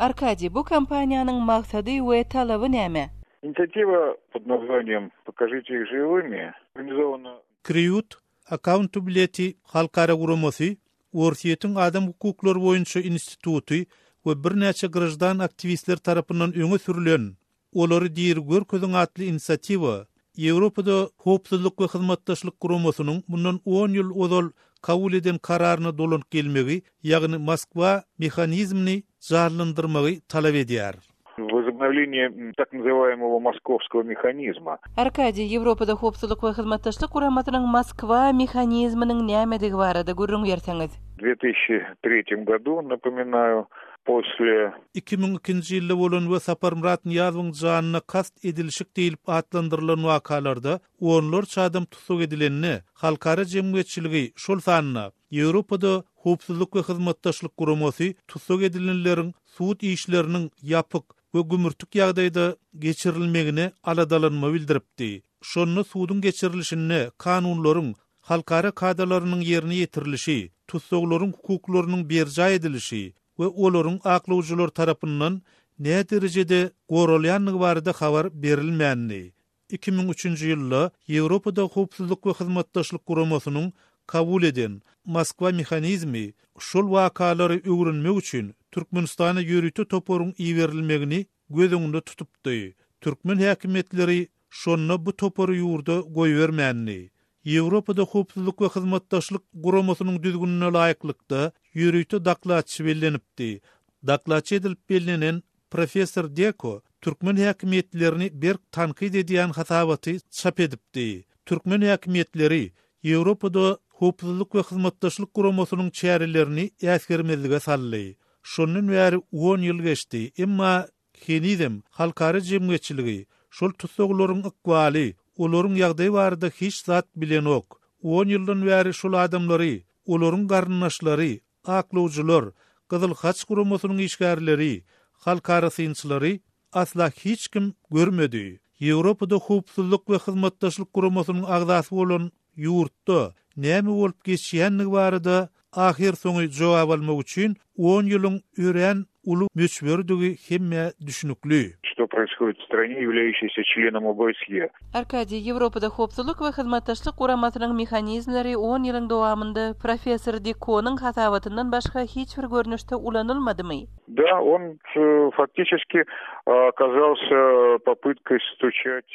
Arkadiý, bu kampaniýanyň maksady we talaby näme? Inisiatiwa pod nazwaniýem Pokažite ich žiwymi organizowana. Kriýut Accountability halkara guramasy, Orsýetiň adam hukuklary boýunça instituty we birnäçe graždan aktiwistler tarapyndan öňe sürlen Olary diri görkeziň atly inisiatiwa Ýewropada Howpsuzlyk we Hyzmatdaşlyk Guramasynyň mundan on ýyl ozal kabul eden kararyna dolanyp gelmegi, ýagny Moskwa mehanizmini janlandyrmagy talap edýär. Возобновление tak nazywajemого Moskovskogo mehanizma. Arkadiý, Ýewropada Howpsuzlyk we Hyzmatdaşlyk Guramasynyň Moskwa mehanizminiň nämedigi barada gürrüň berseňiz. W dve tysячi tretýem godu, napominaýu, posle. 2002-nji ýylda bolan we Saparmyrat Nyýazowyň janyna kast edilişik diýlip atlandyrylan wakalarda onlarça adam tussag edilende, halkara jemgyýetçiligi, şol sanda Ýewropada Howpsuzlyk we Hyzmatdaşlyk Guramasy tussag edilenleriň sud işleriniň ýapyk we gümürtik ýagdaýda geçirilmegine aladalanma bildiripdi. Şonda suduň geçirilişinde kanunlaryň, halkara kadalarynyň ýerine ýetirilişi, tussaglaryň hukuklarynyň berjaý edilişi we olaryň aklawjylary tarapyndan näderejede goralýandygy barada habar berilmändi. 2003-nji ýylda Ýewropada Howpsuzlyk we Hyzmatdaşlyk Guramasynyň kabul eden Moskwa mehanizmi şol wakalary öwrenmek üçin Türkmenistana ýörite toparyň iberilmegini göz öňünde tutupdy. Türkmen häkimiýetleri şonda bu topary ýurda goýbermändi. Ýewropada Howpsuzlyk we Hyzmatdaşlyk Guramasynyň düzgünine laýyklykda, ýörite dokladçy bellenipdi. Dokladçy edilip bellenen professor Deko türkmen häkimiýetlerini berk tankyt edýän hasabaty çap edipdi. Türkmen häkimiýetleri Ýewropada Howpsuzlyk we Hyzmatdaşlyk Guramasynyň çärelerini äsgermezlige saldy. Şondan bäri on ýyl geçdi, emma henizem halkara jemgyýetçiligi şol tussaglaryň ykbaly, olaryň ýagdaýy barada hiç zat bilenok. On ýyldan bäri şol adamlary, olaryň garyndaşlary, aklawjylar, Gyzyl Haç guramasynyň işgärleri, halkara synçylary asla hiç kim görmedi. Ýewropada Howpsuzlyk we Hyzmatdaşlyk Guramasynyň agzasy bolan ýurtda näme bolup geçýändigi barada ahyrsoňy jogap almak üçin on ýylyň örän uly möçberidigi hemmä düşnükli. Что происходит в стране, являющейся членом ОБСЕ? Arkadiý, Ýewropada Howpsuzlyk we Hyzmatdaşlyk Guramasynyň mehanizmleri on ýylyň dowamynda professor Dikonyň hasabatyndan başga hiç bir görnüşde ulanylmadymy? Da, on faktiçeski okazalsya popytkoý stuçat.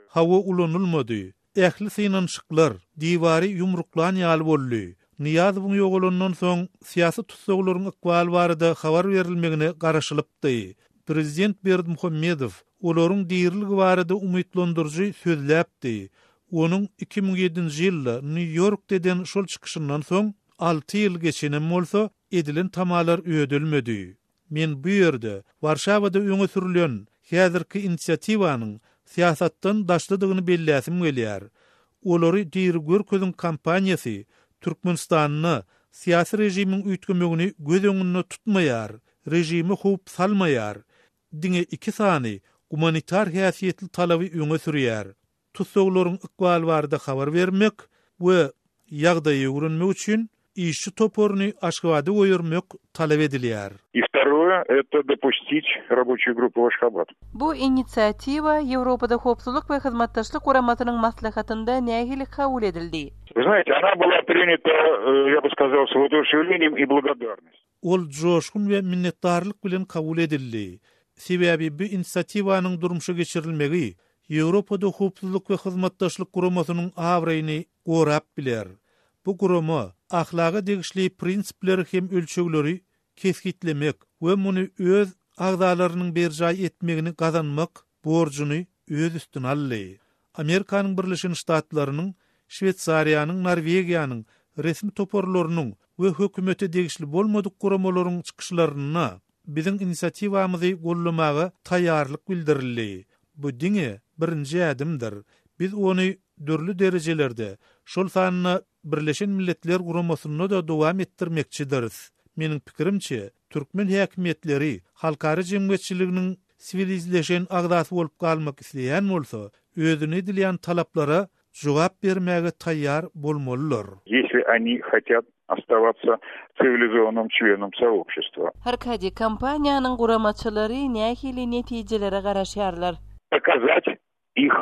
Hawa ulanylmady. Ähli synanyşyklar diwary ýumruklan ýaly boldy. Nyýazowyň ýogalandan soň syýasy tussaglaryň ykbaly barada habar berilmegine garaşylypdy. Prezident Berdimuhamedow olaryň diriligi barada umytlandyryjy sözläpdi. Onuň 2007-nji ýylda Nýu-Ýorkda eden şol çykyşyndan soň alty ýyl geçenem bolsa, edilen tamalar ödelmedi. Men bu ýerde Warşawada öňe sürlen häzirki inisiatiwanyň syýasatdan daşdadygyny belläsim gelýär. Olary diri görkeziň kampaniýasy Türkmenistanda syýasy režimiň üýtgemegini göz öňünde tutmaýar, režime howp salmaýar, diňe iki sany gumanitar häsiýetli talaby öňe sürýär. tussaglaryň ykbaly barada habar bermek we ýagdaýy öwrenmek üçin işçi toparyny Aşgabada goýbermek talap edilýär. I wtoroe, eto dopustiť raboçiýu gruppu w Aşgabat. Bu inisiatiwa Ýewropada Howpsuzlyk we Hyzmatdaşlyk Guramasynyň maslahatynda nähili kabul edildi? Vy znaýete, ona byla prinýata, ýa by skazal, s wooduşewleniýem i blagodarnostýu. Ol joşgun we minnetdarlyk bilen kabul edildi. Sebäbi bu inisiatiwanyň durmuşa geçirilmegi Ýewropada Howpsuzlyk we Hyzmatdaşlyk Guramasynyň abraýyny gorap biler. Bu gurama ahlaga degişli prinsipleri hem ölçegleri kesgitlemek we muny öz agzalarynyň berjaý etmegini gazanmak borjuny öz üstüne aldy. Amerikanyň Birleşen Ştatlarynyň, Şweýsariýanyň, Norwegiýanyň resmi toparlarynyň we hökümete degişli bolmadyk guramalaryň çykyşlarynda biziň inisiatiwamyzy goldamaga taýýarlyk bildirildi. Bu diňe birinji ädimdir. Biz ony dürli derejelerde, şol sanda Birleşen Milletler Guramasynda-da dowam etdirmekçidiris. Meniň pikirimçe, türkmen häkimiýetleri halkara jemgyýetçiliginiň siwilizleşen agzasy bolup galmak isleýän bolsa, özüne edilýän talaplara jogap bermäge taýýar bolmalydyr. Ýesli oni hotýat. Оставаться цивилизованным членом сообщества. Arkadiý, kampaniýanyň guramaçylary nähili netijelere garaşýarlar? Показать их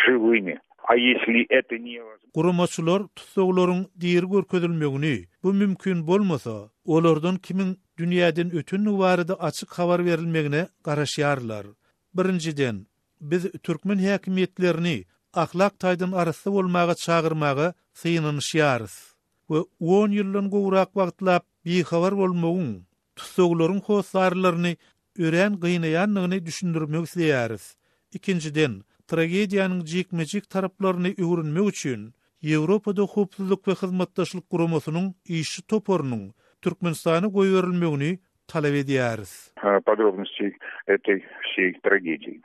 живыми. A ýesli eto ne. Guramaçylar tussaglaryň diri görkezilmegini, bu mümkin bolmasa, olardan kimiň dünýäden ötendigi barada açyk habar berilmegine garaşýarlar. Birinjiden, biz türkmen häkimiýetlerini ahlak taýdan arassa bolmaga çagyrmaga synanyşýarys we on ýyldan gowrak wagtlap bihabar bolmagyň tussaglaryň hossarlaryny örän gynaýandygyny düşündirmek isleýäris. Ikinjiden, tragediýanyň jikme-jik taraplaryny öwrenmek üçin Ýewropada Howpsuzlyk we Hyzmatdaşlyk Guramasynyň işçi toparynyň Türkmenistana goýberilmegini talap edýäris. Podrobnostey etoý wseý tragedii.